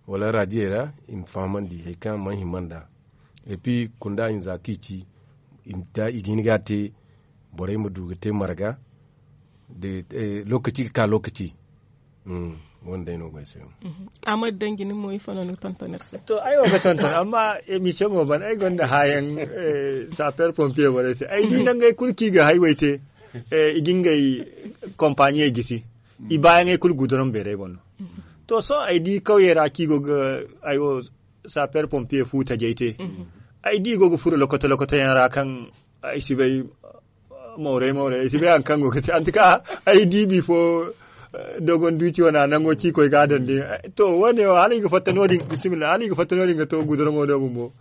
wala raadiyey ra i ma fahamandi hari kaŋ mana hima nd'a. Et puis kunda hinza kaŋ i ci i ga hin ga a te borey ma du ga te marga lokaci ga ka lokaci. Wanda day no go ay se no. Amma danji ni mo ifo no ni ga tonton iri se to ay wo ga tonton amma emission mo ban ay gonda haayaŋ sapeur pompier borey se ay di nangey kulu kaŋ i ga haywey te i ga ngey kompaniyey gisi. I baayaŋey kulu guduraŋ beerey boŋ no. To sohõ ay di kawyey ra kaŋ i go ga ay wo sapeur pompier fu tajey te ay di i go ga furo lokoto lokoto yaŋ ra kaŋ ay si bay mawray mawray ay si bay hari kaŋ go ga te antika ay di bifo dogon duuci wane a nango ci koy ga a daŋ din. To wo- ne wo hala i ga fatta no- din bisimilla hala i ga fatta no- din ga to guduraŋo do bumbo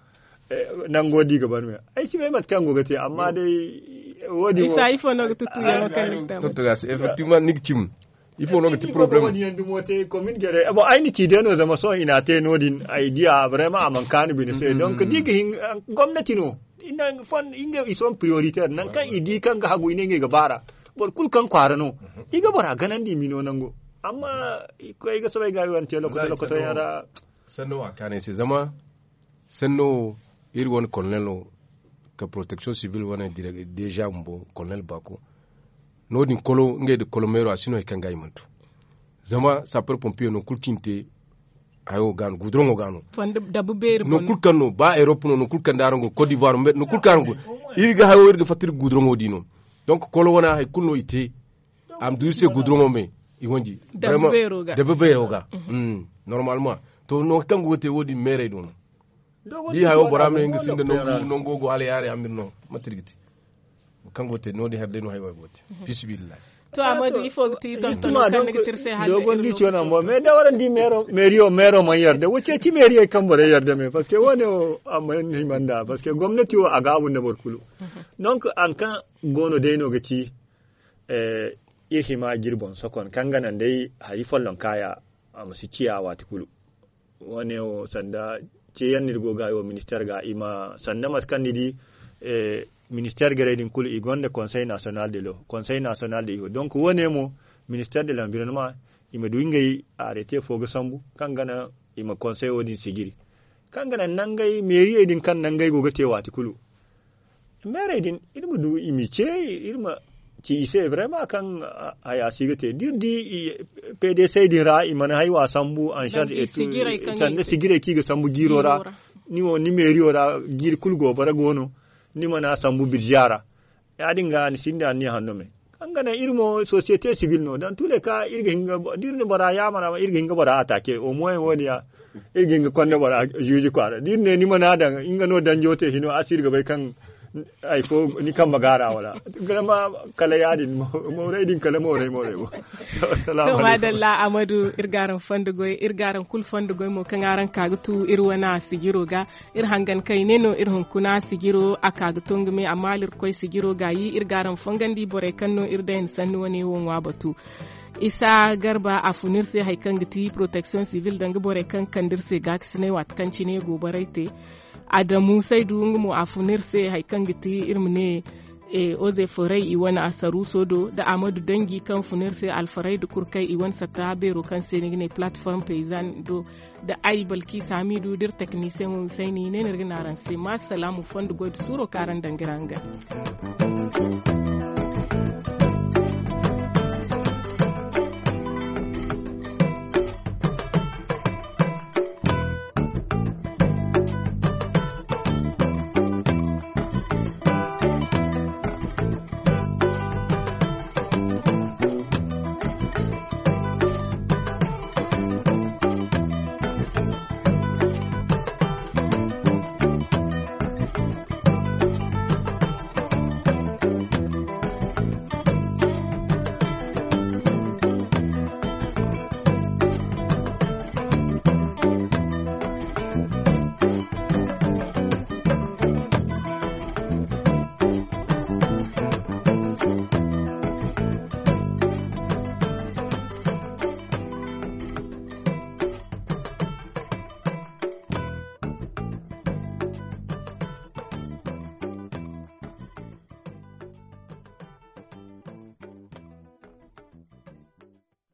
nango da i ga ban me ay si bay mate kaŋ go ga te amma day wo- din wo ay si ay fo no ga tuttu yaŋo kaŋ ni ga te tuttu ga se effectivement ni ga cim ifo no ga ti problème wani yaŋ dumo te komin gere bon ay na ci day no zama sohõ i na te no- din ay diya vraiment a man kaanu bine se donc da i ga hin gomnati no i na fon inga i son prioritaire nangu kaŋ i di kaŋ ga hagu i ne ngey ga baara boro kulu kaŋ kwaara no i ga bora ganandi i mino nango amma koy ga soobay ga i wane te lokoto lokoto yaŋ ra. Sanno a kaanay se zama sanno wo iri wane kolonelo ka protection civil wane deja bumbo kolonel baako no- din kolo ngey da kolo meero a si no hari kaŋ ga i mana to zama sapeur pompier no kulu kaŋ i na te hayo ga no guduraŋo ga no no kulu kaŋ no ba europe no no kulu kaŋ da araŋ go cote d'ivoire no kulu kaŋ araŋ go iri ga hayo iri ga fatta iri ga guduraŋo di no donc kolo wane hari kulu no i te a ma du iri se guduraŋo me i wanji dabe beero ga normalement to no hari kaŋ go ga te wo- din meerey do no di hayo bora ma ne nga sinda nango go hala yaari amir no mate iri ga te kaŋ go te no- din hari day no hay way go te fisibillahi to amma du ifo ga ti tonton kaŋ ni ga tirse hal dogon di ciyo nan bo mais da waran di mero meriyo mero man yarda wace ci meriyo kaŋ bore yarda me parce que wane o amma ni manda parce que gomnati wo a ga abun da boro kulu donc an kaŋ gono day no ga ci eh iri hima ga iri boŋ sokon kaŋ ga naŋ day hari folloŋ kaaya a ma si ciya waati kulu. Wo- ne wo sanda ceeyaŋ no iri go ga wo ministeer ga i ma sanda mate kaŋ ni di ministeer garey din kulu i gonda konsey nasiyonal de lo konsey nasiyonal de iho donk wo- ne mo ministeer de lanvironema i ma du ngey arete fo ga sambu kaŋ ga naŋ i ma konsey wo- din sijiri kaŋ ga naŋ nangey meeriyey din kaŋ nangey go ga te waati kulu. Meerey din iri ma du i ma i ce iri ma ci i se vraiment kaŋ haya si ga te da iri di pdc din ra i mana hay wa sambu en charge et tout sanda sijirey kaŋ i ga sambu jiiro ra. Ni wo ni meeriyo ra jiiri kulu go bara go no ni mana sambu birziya ra. Ya- din ga ni sinda ni hanno me kaŋ ga naŋ iri mo société civile no dans tous les cas iri ga hin ga da iri na bora yaamar a ma iri ga hin ga bora attaquer au moins wo- din ya iri ga hin ga konda bora juge kwaara da iri ne ni mana daŋ nga no danjo te hino a si iri ga bay kaŋ hari fo ni kambe gaara wala. Garama kala ya- din mooray din kala mooray mooray wo. To madalla amadu iri ga araŋ fondo goy iri ga araŋ kulu fondo goy mo kaŋ araŋ ka ga tu iri wane sijiro ga. Iri hangan kayne no iri hunkuna sijiro a ka ga to nga me amma hala iri ga koy sijiro gaayi iri ga araŋ fongandi borey kaŋ no iri dayan sanni wane wo ŋwa batu. Isa garba a fun iri se hari kaŋ ga ti protection civile danga borey kaŋ ga kande iri se gaakasinay waati kaŋ cine go borey te. Adamu saydu nga mo a fun iri se hari kaŋ ga ti iri ma ne oze foray i wane asaruuso do da amadu danji kaŋ fun iri se alfarayda kurkay i wane satta beero kaŋ se ni ga ne plateforme paysan do. Da ay balki samidu da iri teknisiyeŋo sayni ne no iri ga ne araŋ se ma salaamu fondo goy da suuro kaŋ araŋ daŋ ga iri hangan.